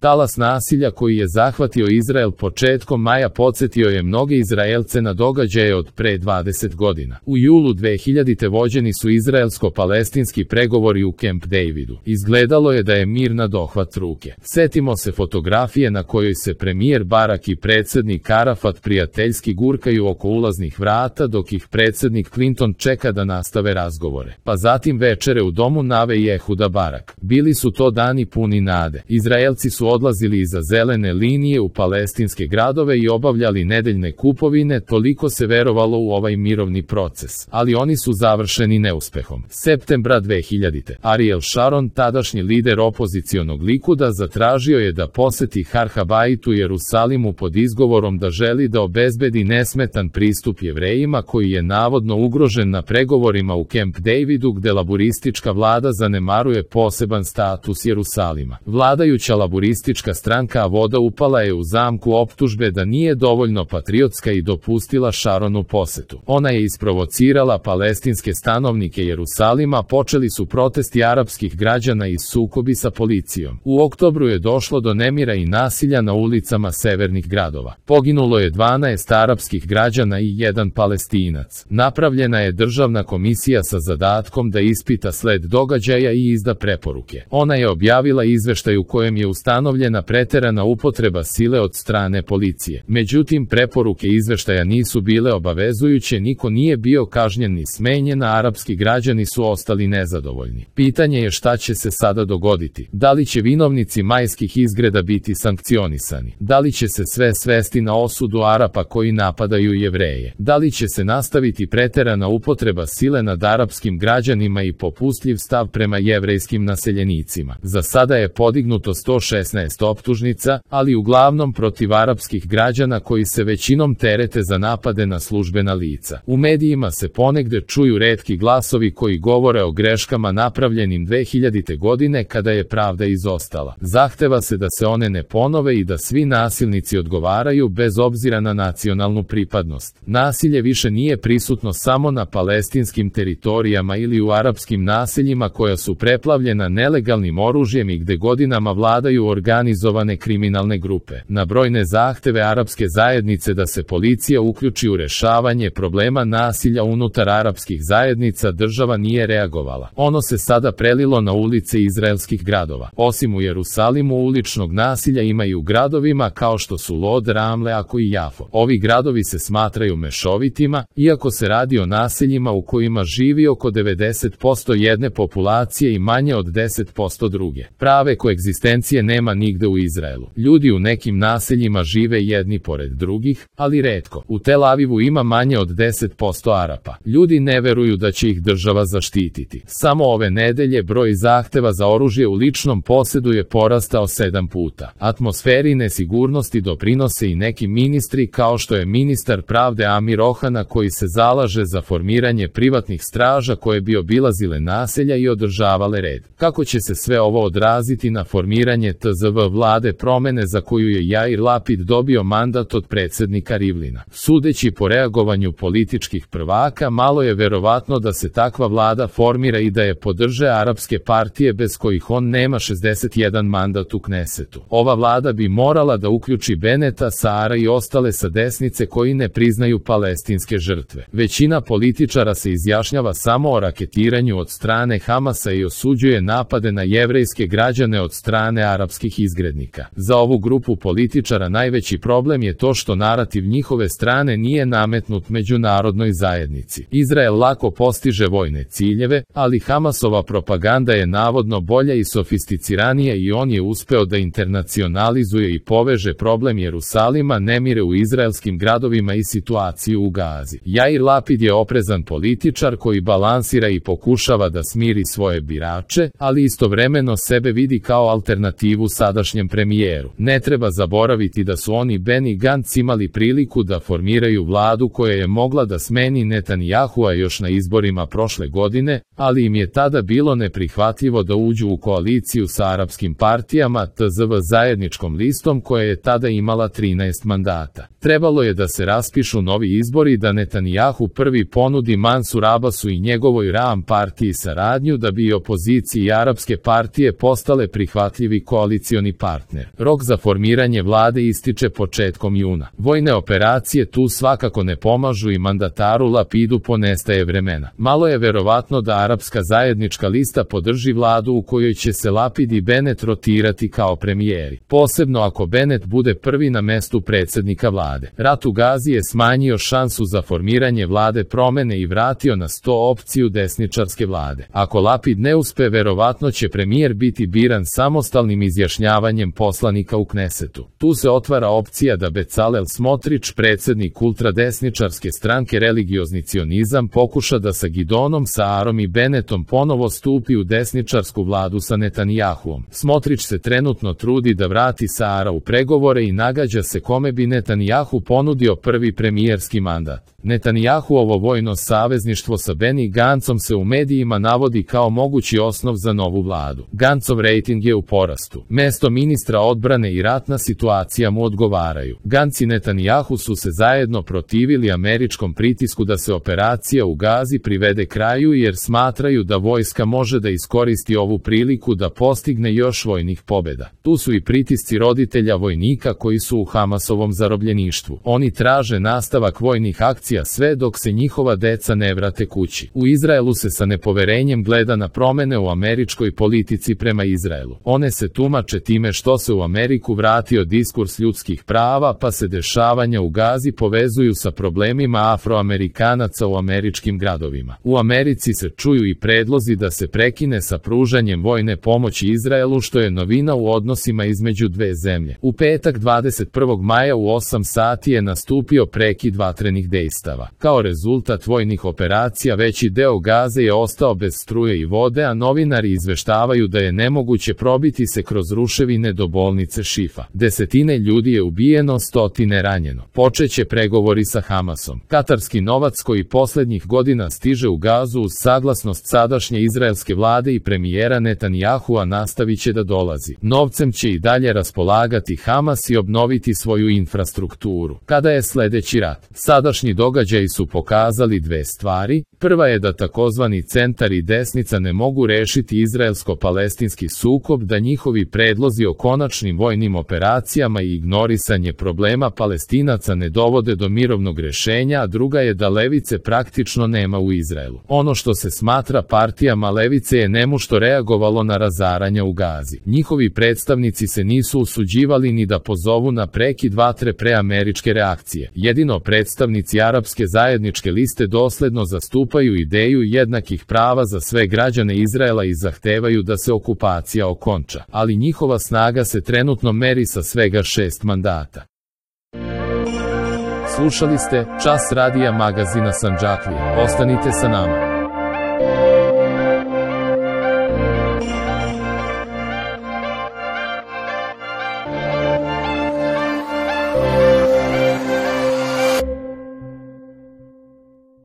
Talas nasilja koji je zahvatio Izrael početkom maja podsjetio je mnoge Izraelce na događaje od pre 20 godina. U julu 2000. vođeni su izraelsko-palestinski pregovori u Camp Davidu. Izgledalo je da je mir na dohvat ruke. Setimo se fotografije na kojoj se premijer Barak i predsjednik Arafat prijateljski gurkaju oko ulaznih vrata dok ih predsjednik Clinton čeka da nastave razgovore. Pa zatim večere u domu Nave i Ehuda Barak. Bili su to dani puni nade. Izraelci su odlazili iza zelene linije u palestinske gradove i obavljali nedeljne kupovine, toliko se verovalo u ovaj mirovni proces. Ali oni su završeni neuspehom. Septembra 2000. Ariel Sharon, tadašnji lider opozicionog Likuda, zatražio je da poseti Har Habait u Jerusalimu pod izgovorom da želi da obezbedi nesmetan pristup Jevrejima koji je navodno ugrožen na pregovorima u Camp Davidu gde laburistička vlada zanemaruje poseban status Jerusalima. Vladajuća laburistička stranka Voda upala je u zamku optužbe da nije dovoljno patriotska i dopustila Sharonu posetu. Ona je isprovocirala palestinske stanovnike Jerusalima, počeli su protesti arapskih građana i sukobi sa policijom. U oktobru je došlo do nemira i nasilja na ulicama severnih gradova. Poginulo je 12 arapskih građana i 1 Palestinac. Napravljena je državna komisija sa zadatkom da ispita sled događaja i izda preporuke. Ona je objavila izveštaj u kojem je ustanovljena preterana upotreba sile od strane policije. Međutim, preporuke izveštaja nisu bile obavezujuće, niko nije bio kažnjen ni smenjen, a arapski građani su ostali nezadovoljni. Pitanje je šta će se sada dogoditi. Da li će vinovnici majskih izgreda biti sankcionisani? Da li će se sve svesti na osudu Arapa koji napadaju Jevreje? Da li će se nastaviti preterana upotreba sile nad arapskim građanima i popustljiv stav prema jevrejskim naseljenicima? Za sada je podignuto 116 optužnica, ali uglavnom protiv arapskih građana koji se većinom terete za napade na službena lica. U medijima se ponegde čuju retki glasovi koji govore o greškama napravljenim 2000. godine kada je pravda izostala. Zahteva se da se one ne ponove i da svi nasilnici odgovaraju bez obzira na nacionalnu pripadnost. Nasilje više nije prisutno samo na palestinskim teritorijama ili u arapskim naseljima koja su preplavljena nelegalnim oružjem i gde godinama vladaju organizovane kriminalne grupe. Na brojne zahteve arapske zajednice da se policija uključi u rešavanje problema nasilja unutar arapskih zajednica država nije reagovala. Ono se sada prelilo na ulice izraelskih gradova. Osim u Jerusalimu uličnog nasilja ima i u gradovima kao što su Lod, Ramle, Ako i Jafo. Ovi gradovi se smatraju mešovitima, iako se radi o naseljima u kojima živi oko 90% jedne populacije i manje od 10% druge. Prave koegzistencije nema nigde u Izraelu. Ljudi u nekim naseljima žive jedni pored drugih, ali retko. U Tel Avivu ima manje od 10% Arapa. Ljudi ne veruju da će ih država zaštititi. Samo ove nedelje broj zahteva za oružje u ličnom posedu je porastao 7 puta. Atmosferi nesigurnosti doprinose i neki ministri kao što je ministar pravde Amir Ohana koji se zalaže za formiranje privatnih straža koje bi obilazile naselja i održavale red. Kako će se sve ovo odraziti na formiranje TZV vlade promene za koju je Jair Lapid dobio mandat od predsjednika Rivlina? Sudeći po reagovanju političkih prvaka, malo je verovatno da se takva vlada formira i da je podrže arapske partije bez kojih on nema 61 mandat u Knesetu. Ova vlada bi morala da uključi Beneta, Saara i ostale sa desnice koji ne priznaju palestinske žrtve. Većina političara se izjašnjava samo o raketiranju od strane Hamasa i osuđuje napade na jevrejske građane od strane arapskih izgrednika. Za ovu grupu političara najveći problem je to što narativ njihove strane nije nametnut međunarodnoj zajednici. Izrael lako postiže vojne ciljeve, ali Hamasova propaganda je navodno bolja i sofisticiranija i on je uspeo da internacionalizuje i poveže problem Jerusalima, nemire u izraelskim gradovima i situaciju u Gazi. Jair Lapid je oprezan političar koji balansira i pokušava da smiri svoje birače, ali istovremeno sebe vidi kao alternativu sadašnjem premijeru. Ne treba zaboraviti da su oni Benny Gantz imali priliku da formiraju vladu koja je mogla da smeni Netanjahua još na izborima prošle godine, ali im je tada bilo neprihvatljivo da uđu u koaliciju sa arapskim partijama TZV zajedničkom listom koja je tada imala 13 mandata. Trebalo je da se raspišu novi izbori da Netanjahu prvi ponudi Mansur Abbasu i njegovoj Ram partiji saradnju da bi opoziciji i arapske partije postale prihvatljivi koalicioni koalicioni partner. Rok za formiranje vlade ističe početkom juna. Vojne operacije tu svakako ne pomažu i mandataru Lapidu ponestaje vremena. Malo je verovatno da Arapska zajednička lista podrži vladu u kojoj će se Lapid i Bennett rotirati kao premijeri. Posebno ako Bennett bude prvi na mestu predsjednika vlade. Rat u Gazi je smanjio šansu za formiranje vlade promene i vratio na sto opciju desničarske vlade. Ako Lapid ne uspe, verovatno će premijer biti biran samostalnim izjašnjavanjem poslanika u Knesetu. Tu se otvara opcija da Becalel Smotrić, predsjednik ultradesničarske stranke Religiozni cionizam, pokuša da sa Gidonom Saarom i Bennettom ponovo stupi u desničarsku vladu sa Netanjahuom. Smotrić se trenutno trudi da vrati Saara u pregovore i nagađa se kome bi Netanjahu ponudio prvi premijerski mandat. Netanjahuovo vojno savezništvo sa Benny Gantzom se u medijima navodi kao mogući osnov za novu vladu. Gantzov rejting je u porastu. Mesto ministra odbrane i ratna situacija mu odgovaraju. Gantz i Netanjahu su se zajedno protivili američkom pritisku da se operacija u Gazi privede kraju jer smatraju da vojska može da iskoristi ovu priliku da postigne još vojnih pobjeda. Tu su i pritisci roditelja vojnika koji su u Hamasovom zarobljeništvu. Oni traže nastavak vojnih akcija sve dok se njihova deca ne vrate kući. U Izraelu se sa nepoverenjem gleda na promene u američkoj politici prema Izraelu. One se tumače time što se u Ameriku vratio diskurs ljudskih prava, pa se dešavanja u Gazi povezuju sa problemima Afroamerikanaca u američkim gradovima. U Americi se čuju i predlozi da se prekine sa pružanjem vojne pomoći Izraelu, što je novina u odnosima između dve zemlje. U petak 21. maja u 8 sati je nastupio prekid vatrenih dejstava. Kao rezultat vojnih operacija veći deo Gaze je ostao bez struje i vode, a novinari izveštavaju da je nemoguće probiti se kroz ruševine do bolnice Šifa. Desetine ljudi je ubijeno, stotine ranjeno. Počeće pregovori sa Hamasom. Katarski novac koji posljednjih godina stiže u Gazu uz saglasnost sadašnje izraelske vlade i premijera Netanjahua nastavit će da dolazi. Novcem će i dalje raspolagati Hamas i obnoviti svoju infrastrukturu. Kada je sljedeći rat? Sadašnji događaji su pokazali dve stvari. Prva je da takozvani centar i desnica ne mogu rešiti izraelsko-palestinski sukob, da njihovi predlozi o konačnim vojnim operacijama i ignorisanje problema Palestinaca ne dovode do mirovnog rešenja, a druga je da levice praktično nema u Izraelu. Ono što se smatra partijama levice je nemušto reagovalo na razaranja u Gazi. Njihovi predstavnici se nisu usuđivali ni da pozovu na prekid vatre pre američke reakcije. Jedino predstavnici Arapske zajedničke liste dosledno zastupaju ideju jednakih prava za sve građane Izraela i zahtevaju da se okupacija okonča. Ali njihova snaga se trenutno meri sa svega 6 mandata. Slušali ste Čas radija magazina Sandžaklija. Ostanite sa nama.